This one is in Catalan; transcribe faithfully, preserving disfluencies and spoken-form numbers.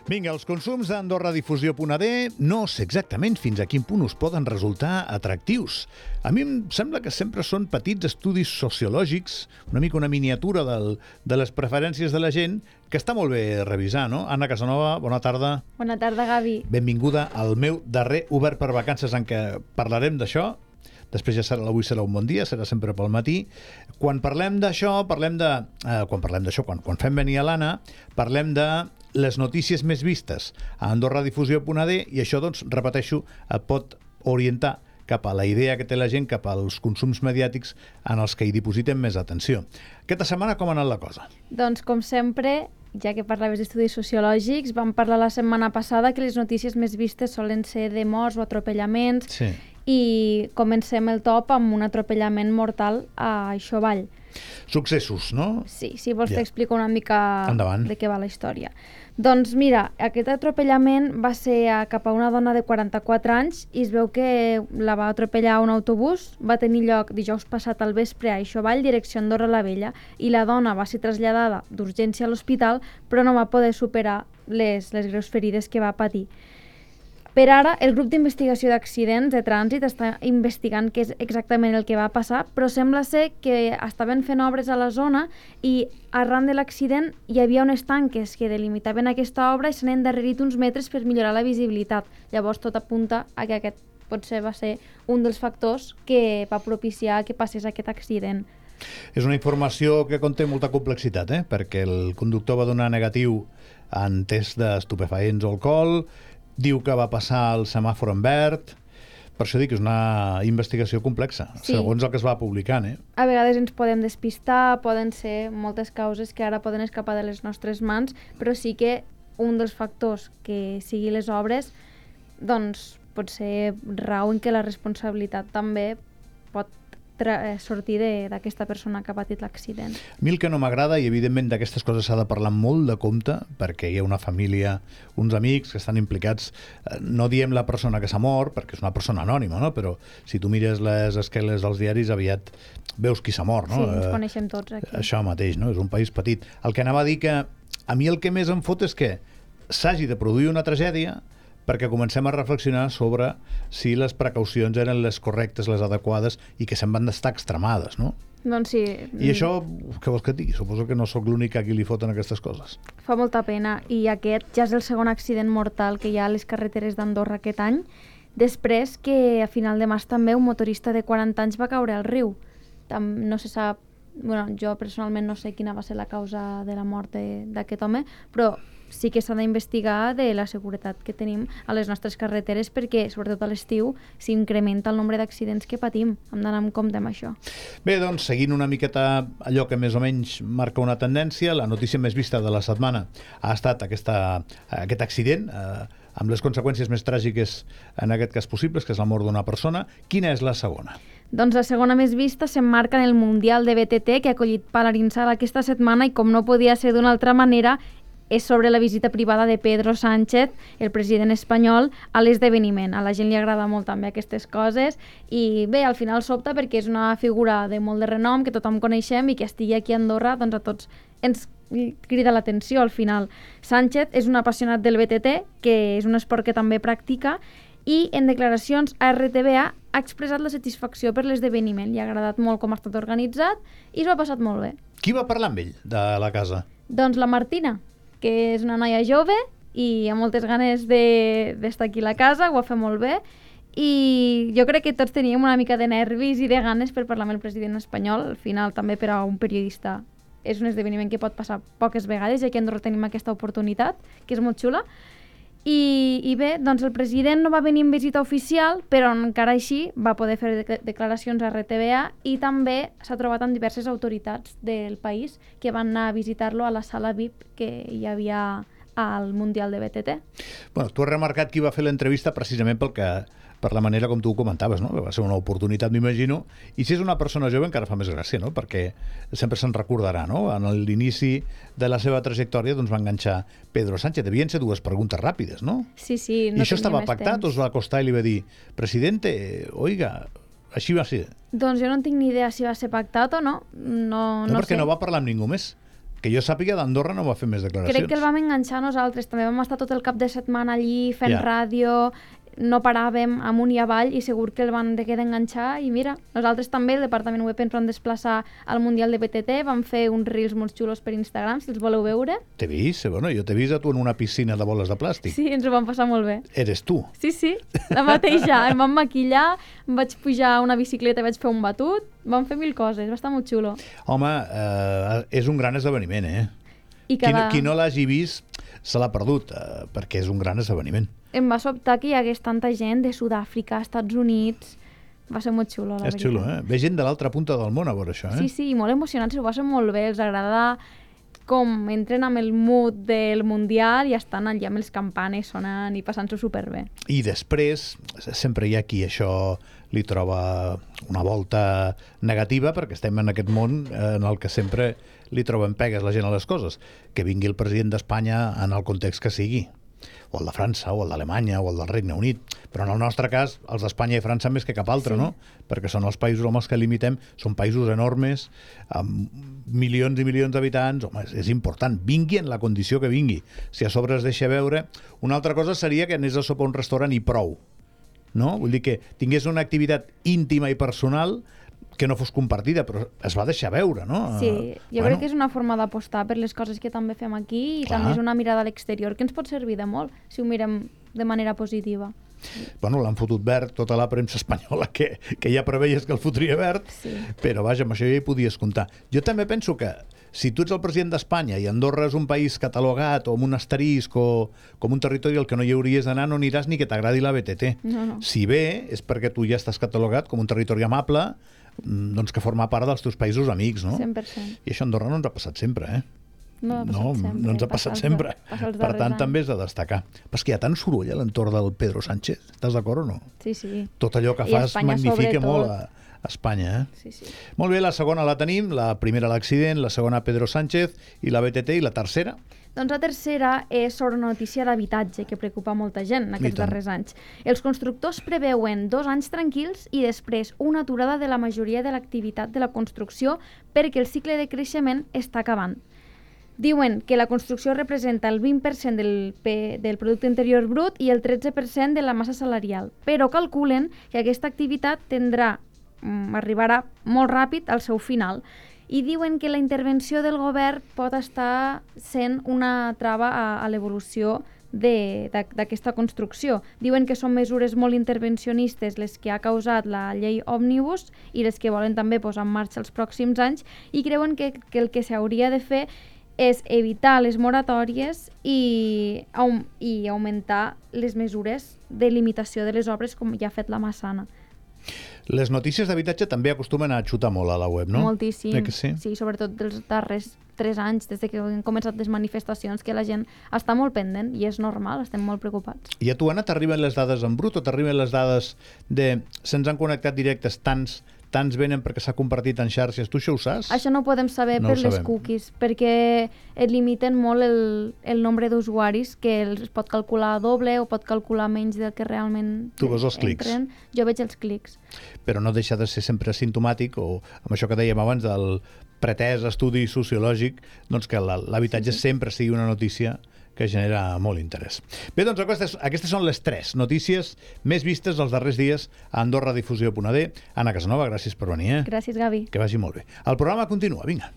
Vinga, els consums d'Andorra Difusió punt a de no sé exactament fins a quin punt us poden resultar atractius. A mi em sembla que sempre són petits estudis sociològics, una mica una miniatura del, de les preferències de la gent, que està molt bé revisar, no? Anna Casanova, bona tarda. Bona tarda, Gavi. Benvinguda al meu darrer Obert per Vacances, en què parlarem d'això. Després ja serà, avui serà un bon dia, serà sempre pel matí. Quan parlem d'això, parlem de... Eh, quan parlem d'això, quan, quan fem venir a l'Anna, parlem de les notícies més vistes a Andorra Difusió punt a de, i això, doncs, repeteixo, et pot orientar cap a la idea que té la gent, cap als consums mediàtics en els que hi dipositen més atenció. Aquesta setmana com ha anat la cosa? Doncs, com sempre, ja que parlaves d'estudis sociològics, vam parlar la setmana passada que les notícies més vistes solen ser de morts o atropellaments, Sí. i comencem el top amb un atropellament mortal a Aixovall. Successos, no? Sí, si vols Ja. t'explico una mica Endavant. de què va la història. Doncs mira, aquest atropellament va ser a, cap a una dona de quaranta-quatre anys i es veu que la va atropellar un autobús. Va tenir lloc dijous passat al vespre a Aixovall, direcció Andorra la Vella, i la dona va ser traslladada d'urgència a l'hospital, però no va poder superar les, les greus ferides que va patir. Per ara, el grup d'investigació d'accidents de trànsit està investigant què és exactament el que va passar, però sembla ser que estaven fent obres a la zona i arran de l'accident hi havia unes tanques que delimitaven aquesta obra i s'han endarrerit uns metres per millorar la visibilitat. Llavors tot apunta a que aquest potser va ser un dels factors que va propiciar que passés aquest accident. És una informació que conté molta complexitat, eh? Perquè el conductor va donar negatiu en test d'estupefaents o alcohol, diu que va passar el semàfor en verd. Per això dic que és una investigació complexa, Sí. segons el que es va publicant, eh? A vegades ens podem despistar, poden ser moltes causes que ara poden escapar de les nostres mans, però sí que un dels factors que sigui les obres, doncs pot ser rau en que la responsabilitat també pot tra- sortir de- d'aquesta persona que ha patit l'accident. A mi el que no m'agrada, i evidentment d'aquestes coses s'ha de parlar molt de compte, perquè hi ha una família, uns amics que estan implicats, eh, no diem la persona que s'ha mort, perquè és una persona anònima, no? Però si tu mires les esqueles dels diaris, aviat veus qui s'ha mort, no? Sí, ens Eh, coneixem tots aquí. Això mateix, no? És un país petit. El que anava a dir que a mi el que més em fot és que s'hagi de produir una tragèdia perquè comencem a reflexionar sobre si les precaucions eren les correctes, les adequades, i que se'n van d'estar extremades, no? Doncs sí, I això, què vols que et digui? Suposo que no sóc l'únic a qui li foten aquestes coses. fa molta pena. I aquest ja és el segon accident mortal que hi ha a les carreteres d'Andorra aquest any, després que a final de març també un motorista de quaranta anys va caure al riu. Tam- No se sap, bueno, jo personalment no sé quina va ser la causa de la mort de- d'aquest home, però sí que s'ha d'investigar de la seguretat que tenim a les nostres carreteres perquè, sobretot a l'estiu, s'incrementa el nombre d'accidents que patim. Hem d'anar amb compte amb això. Bé, doncs, seguint una miqueta allò que més o menys marca una tendència, la notícia més vista de la setmana ha estat aquesta, aquest accident, eh, amb les conseqüències més tràgiques en aquest cas possibles, que és la mort d'una persona. Quina és la segona? Doncs la segona més vista s'emmarca en el Mundial de B T T que ha acollit Palarinsal aquesta setmana i, com no podia ser d'una altra manera, és sobre la visita privada de Pedro Sánchez, el president espanyol, a l'esdeveniment. A la gent li agrada molt també aquestes coses i bé, al final sobta perquè és una figura de molt de renom que tothom coneixem i que estigui aquí a Andorra, doncs a tots ens crida l'atenció al final. Sánchez és un apassionat del B T T, que és un esport que també practica, i en declaracions a R T V A ha expressat la satisfacció per l'esdeveniment. Li ha agradat molt com ha estat organitzat i s'ho ha passat molt bé. Qui va parlar amb ell de la casa? Doncs la Martina, que és una noia jove i amb moltes ganes de- d'estar aquí a la casa, ho va fer molt bé, i jo crec que tots teníem una mica de nervis i de ganes per parlar amb el president espanyol. Al final, també per a un periodista, és un esdeveniment que pot passar poques vegades, ja que a Andorra tenim aquesta oportunitat, que és molt xula. I, i bé, doncs el president no va venir en visita oficial, però encara així va poder fer de- declaracions a R T V A i també s'ha trobat amb diverses autoritats del país que van anar a visitar-lo a la sala V I P que hi havia al Mundial de B T T. Bueno, tu has remarcat qui va fer l'entrevista precisament pel que, per la manera com tu ho comentaves, no? Que va ser una oportunitat, m'imagino, i si és una persona jove encara fa més gràcia, no? Perquè sempre se'n recordarà, no? En l'inici de la seva trajectòria doncs va enganxar Pedro Sánchez. Devien ser dues preguntes ràpides, no? Sí, sí, no I això tenia estava més pactat o temps. es va acostar i li va dir presidente, oiga, així va ser? Doncs jo no en tinc ni idea si va ser pactat o no. No, No, no perquè sé. no va parlar amb ningú més. que jo sàpiga, d'Andorra no va fer més declaracions. Crec que el vam enganxar nosaltres, també vam estar tot el cap de setmana allí fent Ja. ràdio, no paràvem amunt i avall i segur que el van de quedar enganxar i mira, nosaltres també, el Departament Web ens vam desplaçar al Mundial de B T T, vam fer uns reels molt xulos per Instagram, si els voleu veure. T'he vist, bueno, jo t'he vist a tu en una piscina de boles de plàstic. Sí, ens ho vam passar molt bé. Eres tu. Sí, sí, la mateixa. Em vam maquillar, em vaig pujar a una bicicleta i vaig fer un batut, vam fer mil coses, va estar molt xulo. Home, eh, és un gran esdeveniment, eh? I Qui, no, cada... qui no l'hagi vist se l'ha perdut, eh, perquè és un gran esdeveniment. Em va sobtar que hi hagués tanta gent de Sud-àfrica, Estats Units... Va ser molt xulo, la És veritat. xulo, eh? Ve gent de l'altra punta del món a veure això, eh? Sí, sí, i molt emocionants, s'ho passen molt bé, els agrada com entren amb el mood del Mundial i estan allà amb els campanes sonant i passant-s'ho superbé. I després, sempre hi ha qui això li troba una volta negativa, perquè estem en aquest món en el que sempre li troben pegues la gent a les coses. Que vingui el president d'Espanya en el context que sigui, o el de França, o el d'Alemanya, o el del Regne Unit. Però en el nostre cas, els d'Espanya i França més que cap altre, Sí. no? Perquè són els països amb els que limitem, són països enormes, amb milions i milions d'habitants. Home, és, és important, vingui en la condició que vingui. Si a sobre es deixa veure... Una altra cosa seria que anés a sopar a un restaurant i prou, no? Vull dir que tingués una activitat íntima i personal que no fos compartida, però es va deixar veure, no? Sí, jo Bueno, crec que és una forma d'apostar per les coses que també fem aquí i Clar. també és una mirada a l'exterior que ens pot servir de molt si ho mirem de manera positiva. Bueno, l'han fotut verd tota la premsa espanyola, que, que ja preveies que el fotria verd, Sí. però vaja, amb això ja hi podies comptar. Jo també penso que si tu ets el president d'Espanya i Andorra és un país catalogat o amb un asterisc o com un territori al que no hi hauries d'anar, no aniràs ni que t'agradi la B T T. No, no. Si bé és perquè tu ja estàs catalogat com un territori amable, mm, doncs que forma part dels teus països amics, no? cent per cent. I això a Andorra no ens ha passat sempre, eh? No, ha passat No, sempre. no ens ha Passa passat els sempre. da- passa els Per darrers tant, anys. també és de destacar. Però és que hi ha tant soroll a l'entorn del Pedro Sánchez. Estàs d'acord o no? Sí, sí. Tot allò que I fas Espanya magnifica sobretot. molt a, a Espanya, eh? Sí, sí. Molt bé, la segona la tenim, la primera l'accident, la segona Pedro Sánchez i la B T T, i la tercera? Doncs la tercera és sobre una notícia d'habitatge que preocupa molta gent en I aquests tant. darrers anys. Els constructors preveuen dos anys tranquils i després una aturada de la majoria de l'activitat de la construcció perquè el cicle de creixement està acabant. Diuen que la construcció representa el vint per cent del, P, del producte interior brut i el tretze per cent de la massa salarial, però calculen que aquesta activitat tendrà, mm, arribarà molt ràpid al seu final i diuen que la intervenció del govern pot estar sent una trava a, a l'evolució de- d'ac- d'aquesta construcció. Diuen que són mesures molt intervencionistes les que ha causat la llei Òmnibus i les que volen també posar en marxa els pròxims anys i creuen que, que el que s'hauria de fer és evitar les moratòries i, aum i augmentar les mesures de limitació de les obres com ja ha fet la Massana. Les notícies d'habitatge també acostumen a xutar molt a la web, no? Moltíssim. Eh que sí? Sí, sobretot dels darrers tres anys, des de que han començat les manifestacions, que la gent està molt pendent i és normal, estem molt preocupats. I a tu, Anna, t'arriben les dades en brut o t'arriben les dades de... Se'ns han connectat directes tants, tants venen perquè s'ha compartit en xarxes. Tu això ho saps? Això no ho podem saber No per ho les sabem. cookies, perquè et limiten molt el, el nombre d'usuaris, que es pot calcular doble o pot calcular menys del que realment Tu veus els clics. entren. Jo veig els clics. Però no deixa de ser sempre asimptomàtic, o amb això que dèiem abans del pretès estudi sociològic, doncs que la- l'habitatge Sí, sí. sempre sigui una notícia que genera molt interès. Bé, doncs aquestes, aquestes són les tres notícies més vistes els darrers dies a Andorra Difusió punt d. Anna Casanova, gràcies per venir, eh? Gràcies, Gavi. Que vagi molt bé. El programa continua, vinga.